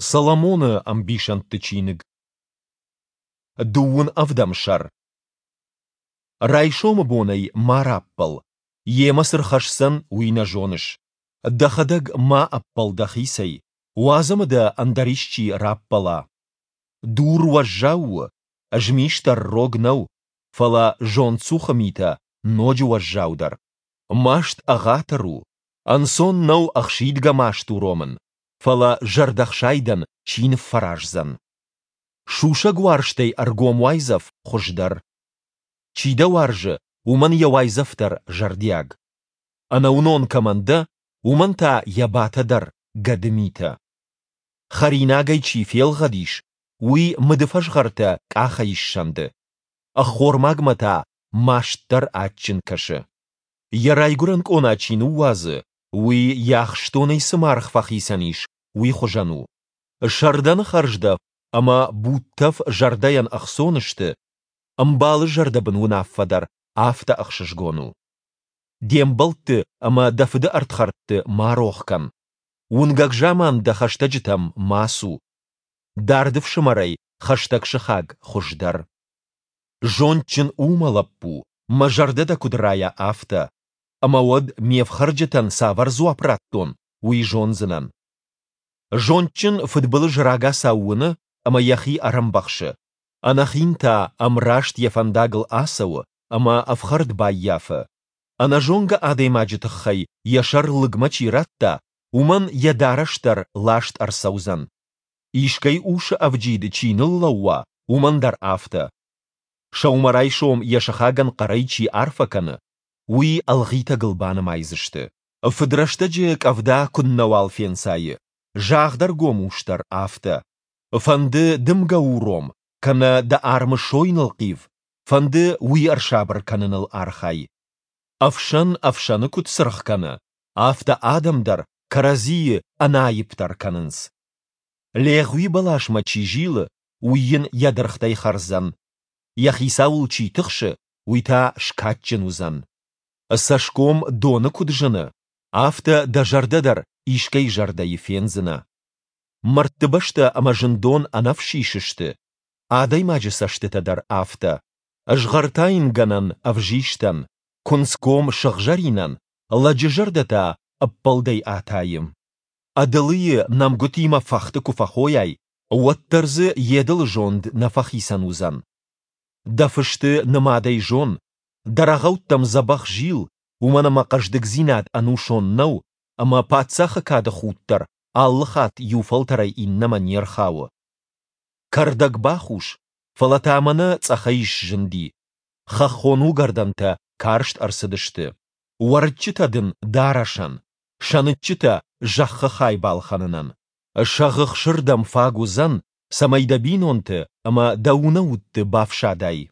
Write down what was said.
Соломоны ӕмбисӕндты чиныг, дыууын ӕвдӕм сӕр. Райсомы бонӕй ма раппӕл, йемӕ цы рхӕсдзӕн, уый нӕ зоныс. Дӕхӕдӕг ма ӕппӕл дӕхицӕй, уадз ӕмӕ дӕ ӕндӕр исчи раппӕла. Дур уӕззау у, змис дӕр рог нӕу, фӕлӕ зондцухы митӕ ноджы уӕззаудӕр. Маст ӕгъатыр у, ӕнцон нӕу ӕхсидгӕ маст уромын, фӕлӕ зӕрдӕхсайдӕн чи ныффӕраздзӕн? Сусӕг уарзтӕй ӕргом уайдзӕф хуыздӕр. Чи дӕ уарзы, уымӕн йӕ уайдзӕф дӕр зӕрдиаг. Ӕнӕуынон кӕмӕн дӕ, уымӕн та йӕ батӕ дӕр гӕды митӕ. Хӕринагӕй чи фелгъӕд ис, уый мыды фӕзгъӕртӕ къахӕй ссӕнды. Ӕххормагмӕ та маст дӕр адджын кӕсы. Йӕ райгуырӕн къона чи ныууадзы, уый йӕ ахстонӕй цы маргъ фӕхицӕн ис, уый хуызӕн у. Сӕрдӕны хӕрздӕф ӕмӕ будтӕф зӕрдӕйӕн ӕхцон сты, ӕмбалы зӕрдӕбын уынаффӕ дӕр афтӕ ӕхсызгон у. Де мбӕлтты ӕмӕ дӕ фыды ӕрдхӕрдты ма рох кӕн. Уынгӕг заман дӕ хӕстӕджытӕм ма цу. Дард ӕфсымӕрӕй хӕстӕг сыхаг хуыздӕр. Зондджын у, мӕ лӕппу, мӕ зӕрдӕ дӕ куыд райа, афтӕ, ӕмӕ уӕд ме фхӕрджытӕн цавӕр дзуапп раттон, уый зондзынӕн. Зондджын фыдбылыз рагацау уыны ӕмӕ йӕхи ӕрӕмбӕхсы, ӕнӕхин та ӕмраст йӕ фӕндагыл ацӕуы ӕмӕ ӕфхӕрд баййафы. Ӕнӕзонгӕ адӕймаджы тыххӕй йӕ сӕр лыгмӕ чи радта, уымӕн йӕ дарӕс дӕр ласт ӕрцӕудзӕн. Искӕй усы ӕвджид чи ныллӕууа, уымӕн дӕр афтӕ. Сӕумӕрайсом йӕ сыхагӕн хъӕрӕй чи арфӕ кӕны, уый ӕлгъитӕгыл банымайдзысты. Фыдрӕстӕджы къӕвда куыннӕуал фенцайы, загъдӕргом ус дӕр афтӕ. Фӕнды дымгӕ уром, кӕнӕ дӕ армы сой нылхъив, фӕнды уый ӕрсабыр кӕныныл архай. Ӕфсӕн ӕфсӕны куыд цыргъ кӕны, афтӕ адӕм дӕр кӕрӕдзийы ӕнаипдӕр кӕнынц. Легъуи бӕласмӕ чи зилы, уый йын йӕ дыргътӕй хӕрдзӕн. Йӕ хицауыл чи тыхсы, уый та скадджын уыдзӕн. Цӕсгом доны куыд зыны, афтӕ дӕ зӕрдӕ дӕр искӕй зӕрдӕйы фендзынӕ. Мӕрдты бӕстӕ ӕмӕ зындон ӕнӕфсис сты, адӕймаджы цӕстытӕ дӕр афтӕ. Згъӕртайынгӕнӕн ӕвзистӕн, куынцгом сыгъзӕринӕн, лӕджы зӕрдӕ та ӕппӕлдӕй атайы. Ӕдылыйы нӕмгуытимӕ фӕхты куы фӕхойай, уӕддӕр дзы йе дылы зонд нӕ фӕхицӕн уыдзӕн. Дӕ фысты нымадӕй зон, дӕ рӕгъӕуттӕм дзӕбӕх зил, уымӕн ӕмӕ хъӕздыгдзинад ӕнусон нӕу, ӕмӕ паддзахы кады худ дӕр алы хатт иу фӕлтӕрӕй иннӕмӕ не рхауы. Кӕрдӕг бахус, фӕлӕ та мӕнӕ цъӕхӕй сзынди. Хӕххон уыгӕрдӕнтӕ карст ӕрцыдысты. Уӕрыччытӕ дын дарӕсӕн, сӕныччытӕ зӕххы хай балхӕнынӕн. Сӕгъы хсыр дӕм фаг уыдзӕн, цӕмӕй дӕ бинонты ӕмӕ дӕ унӕутты бафсадай.